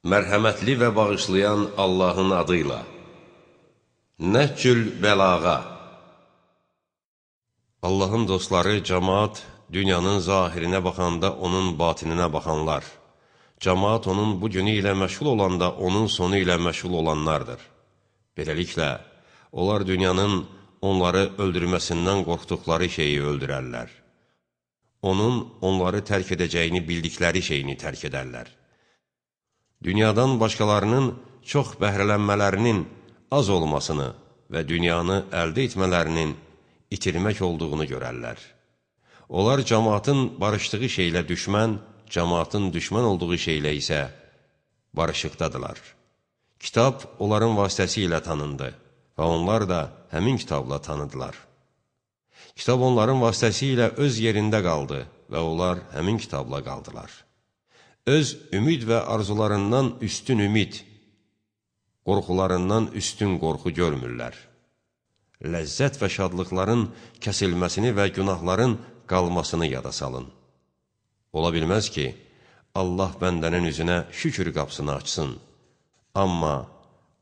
Mərhəmətli və bağışlayan Allahın adıyla. Nəhcül bəlağa. Allahın dostları, cəmaat, dünyanın zahirinə baxanda onun batininə baxanlar. Cəmaat onun bu günü ilə məşğul olanda onun sonu ilə məşğul olanlardır. Beləliklə, onlar dünyanın onları öldürməsindən qorxduqları şeyi öldürərlər. Onun onları tərk edəcəyini bildikləri şeyini tərk edərlər. Dünyadan başqalarının çox bəhrələnmələrinin az olmasını və dünyanı əldə etmələrinin itirmək olduğunu görərlər. Onlar cəmaatın barışdığı şeylə düşmən, cəmaatın düşmən olduğu şeylə isə barışıqdadılar. Kitab onların vasitəsilə tanındı və onlar da həmin kitabla tanıdılar. Kitab onların vasitəsilə öz yerində qaldı və onlar həmin kitabla qaldılar. Öz ümid və arzularından üstün ümid, qorxularından üstün qorxu görmürlər. Ləzzət və şadlıqların kəsilməsini və günahların qalmasını yada salın. Ola bilməz ki, Allah bəndənin üzünə şükür qapısını açsın, amma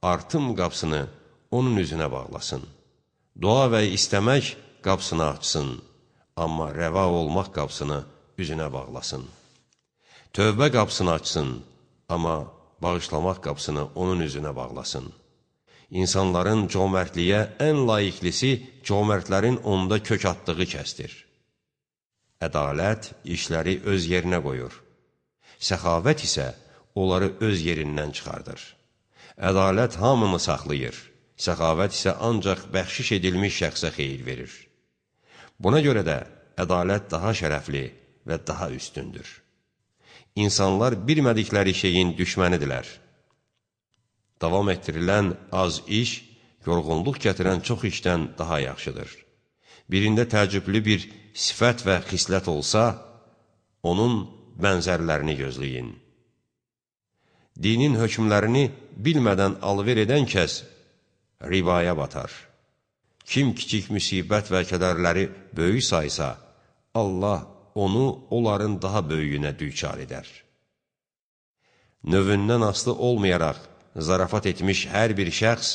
artım qapısını onun üzünə bağlasın. Dua və istəmək qapısını açsın, amma rəva olmaq qapısını üzünə bağlasın. Tövbə qapısını açsın, amma bağışlamaq qapısını onun üzünə bağlasın. İnsanların cömərtliyə ən layiqlisi cömərtlərin onda kök atdığı kəsdir. Ədalət işləri öz yerinə qoyur. Səxavət isə onları öz yerindən çıxardır. Ədalət hamını saxlayır. Səxavət isə ancaq bəxşiş edilmiş şəxsə xeyir verir. Buna görə də ədalət daha şərəfli və daha üstündür. İnsanlar bilmədikləri şeyin düşmənidirlər. Davam etdirilən az iş, yorğunluq gətirən çox işdən daha yaxşıdır. Birində təəccüblü bir sifət və xislət olsa, onun bənzərlərini gözləyin. Dinin hökmlərini bilmədən alver edən kəs ribaya batar. Kim kiçik müsibət və kədərləri böyük saysa, Allah onu onların daha böyüyünə düçar edər. Növündən asılı olmayaraq zarafat etmiş hər bir şəxs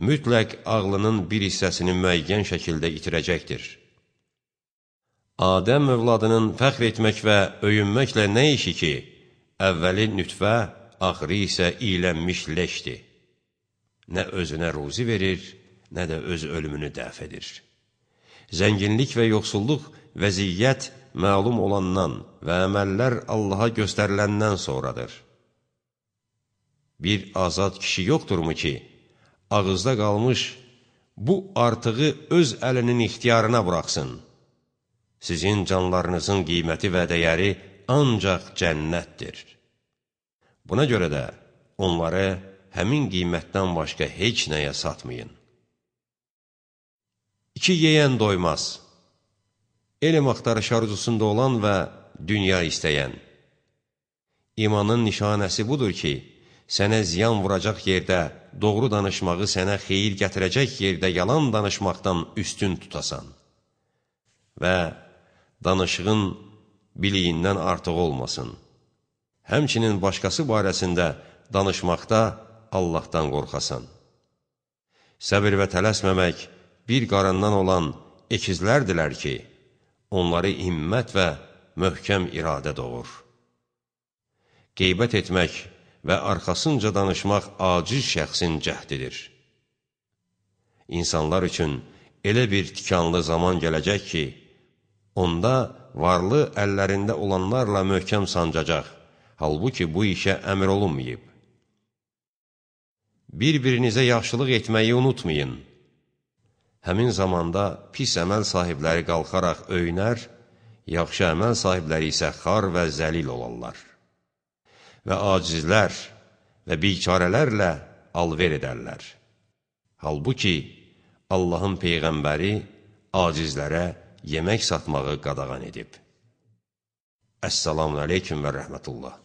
mütləq ağlının bir hissəsini müəyyən şəkildə itirəcəkdir. Adəm övladının fəxr etmək və öyünməklə nə işi ki, əvvəli nütfə, axırı isə iylənmiş leşdir. Nə özünə ruzi verir, nə də öz ölümünü dəf edir. Zənginlik və yoxsulluq vəziyyət məlum olandan və əməllər Allaha göstəriləndən sonradır. Bir azad kişi yoxdurmu ki, ağızda qalmış bu artığı öz əlinin ixtiyarına buraxsın? Sizin canlarınızın qiyməti və dəyəri ancaq cənnətdir. Buna görə də onları həmin qiymətdən başqa heç nəyə satmayın. İki yeyən doymaz. Elm axtarış arzusunda olan və dünya istəyən. İmanın nişanəsi budur ki, sənə ziyan vuracaq yerdə doğru danışmağı sənə xeyir gətirəcək yerdə yalan danışmaqdan üstün tutasan və danışığın biliyindən artıq olmasın. Həmçinin başqası barəsində danışmaqda Allahdan qorxasan. Səbir və tələsməmək bir qarandan olan ekizlərdilər ki, onları himmət və möhkəm iradə doğur. Qeybət etmək və arxasınca danışmaq aciz şəxsin cəhdidir. İnsanlar üçün elə bir tikanlı zaman gələcək ki, onda varlı əllərində olanlarla möhkəm sancacaq, halbuki bu işə əmr olunmayıb. Bir-birinizə yaxşılıq etməyi unutmayın. Həmin zamanda pis əməl sahibləri qalxaraq öyünər, yaxşı əməl sahibləri isə xar və zəlil olarlar. Və acizlər və bikarələrlə alver edərlər. Halbuki Allahın Peyğəmbəri acizlərə yemək satmağı qadağan edib. Əssalamu aleyküm və rəhmətullah.